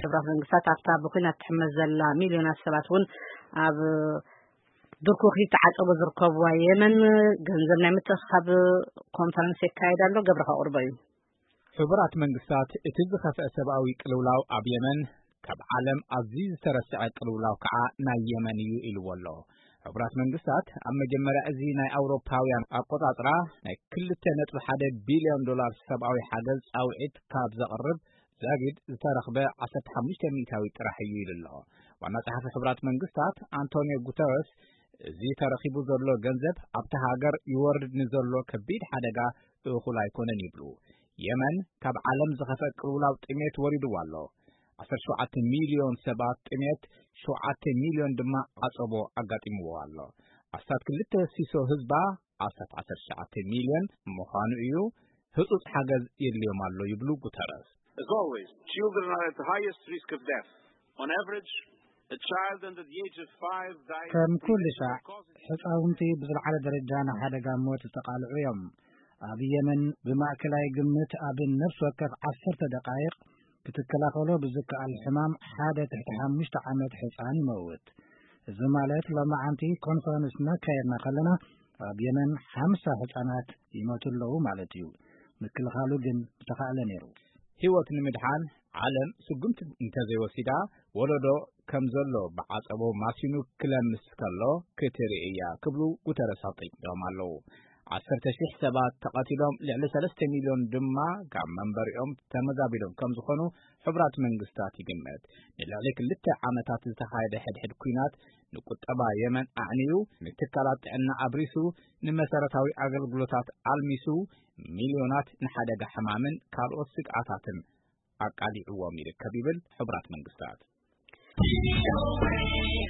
ሕቡራት መንግስታት ኣብታ ብኲናት ትሕመስ ዘላ ሚልዮናት ሰባት እውን ኣብ ድርኩኺ ተዓጸቦ ዝርከብዋ የመን ገንዘብ ናይ ምትእኻብ ኮንፈረንስ የካየድ ኣሎ። ገብረ ከቕርቦ እዩ። ሕቡራት መንግስታት እቲ ዝኸፍአ ሰብኣዊ ቅልውላው ኣብ የመን ካብ ዓለም ኣዝዩ ዝተረስዐ ቅልውላው ከዓ ናይ የመን እዩ ኢልዎ ኣሎ። ሕቡራት መንግስታት ኣብ መጀመርያ እዚ ናይ ኣውሮፓውያን ኣቆጻጽራ ናይ ክልተ ነጥቢ ሓደ ቢልዮን ዶላር ሰብኣዊ ሓገዝ ጻውዒት ካብ ዘቕርብ ዛጊድ ዝተረኽበ ዓሰርተ ሓሙሽተ ሚእታዊ ጥራሕ እዩ ኢሉ ኣሎ። ዋና ጸሓፊ ሕቡራት መንግስታት ኣንቶኒዮ ጉተረስ እዚ ተረኺቡ ዘሎ ገንዘብ ኣብቲ ሃገር ይወርድ ንዘሎ ከቢድ ሓደጋ እኹል ኣይኮነን ይብሉ። የመን ካብ ዓለም ዝኸፍአ ቅልውላው ጥሜት ወሪድዋ ኣሎ። ዓሰርተ ሸውዓተ ሚልዮን ሰባት ጥሜት፣ ሸውዓተ ሚልዮን ድማ ዓጸቦ ኣጋጢምዎ ኣሎ። ኣስታት ክልተ ሲሶ ህዝባ፣ ኣስታት ዓሰርተ ሸውዓተ ሚልዮን ምዃኑ እዩ፣ ህጹጽ ሓገዝ የድልዮም ኣሎ ይብሉ ጉተረስ። As always, children are at the highest risk of death. On average, a child under the age of five dies ከም ኩሉ ሻዕ፣ ሕፃውንቲ ብዝለዓለ ደረጃ ንሓደጋ ሞት ዝተቓልዑ እዮም። ኣብ የመን ብማእከላይ ግምት ኣብ ነፍሲ ወከፍ ዓሰርተ ደቃይቕ ክትከላኸሎ ብዝከኣል ሕማም ሓደ ትሕቲ ሓሙሽተ ዓመት ሕፃን ይመውት። እዚ ማለት ሎማዓንቲ ኮንፈረንስ እናካየድና ከለና ኣብ የመን ሓምሳ ሕፃናት ይሞቱ ኣለዉ ማለት እዩ። ምክልኻሉ ግን ምተኻእለ ነይሩ። ህይወት ንምድሓን ዓለም ስጉምቲ እንተዘይወሲዳ ወለዶ ከም ዘሎ ብዓጸቦ ማሲኑ ክለምስ ከሎ ክትርኢ እያ ክብሉ ጉተረስ ኣጠንቂቖም ኣለዉ። ዓሰርተ ሺሕ ሰባት ተቐቲሎም፣ ልዕሊ ሰለስተ ሚልዮን ድማ ካብ መንበሪኦም ተመዛቢሎም ከም ዝኾኑ ሕቡራት መንግስታት ይግመት። ንልዕሊ ክልተ ዓመታት ዝተኻየደ ሕድሕድ ኲናት ንቁጠባ የመን ኣዕንዩ፣ ንትካላት ጥዕና ኣብሪሱ፣ ንመሰረታዊ ኣገልግሎታት ኣልሚሱ፣ ሚልዮናት ንሓደጋ ሕማምን ካልኦት ስግኣታትን ኣቃሊዕዎም ይርከብ ይብል ሕቡራት መንግስታት።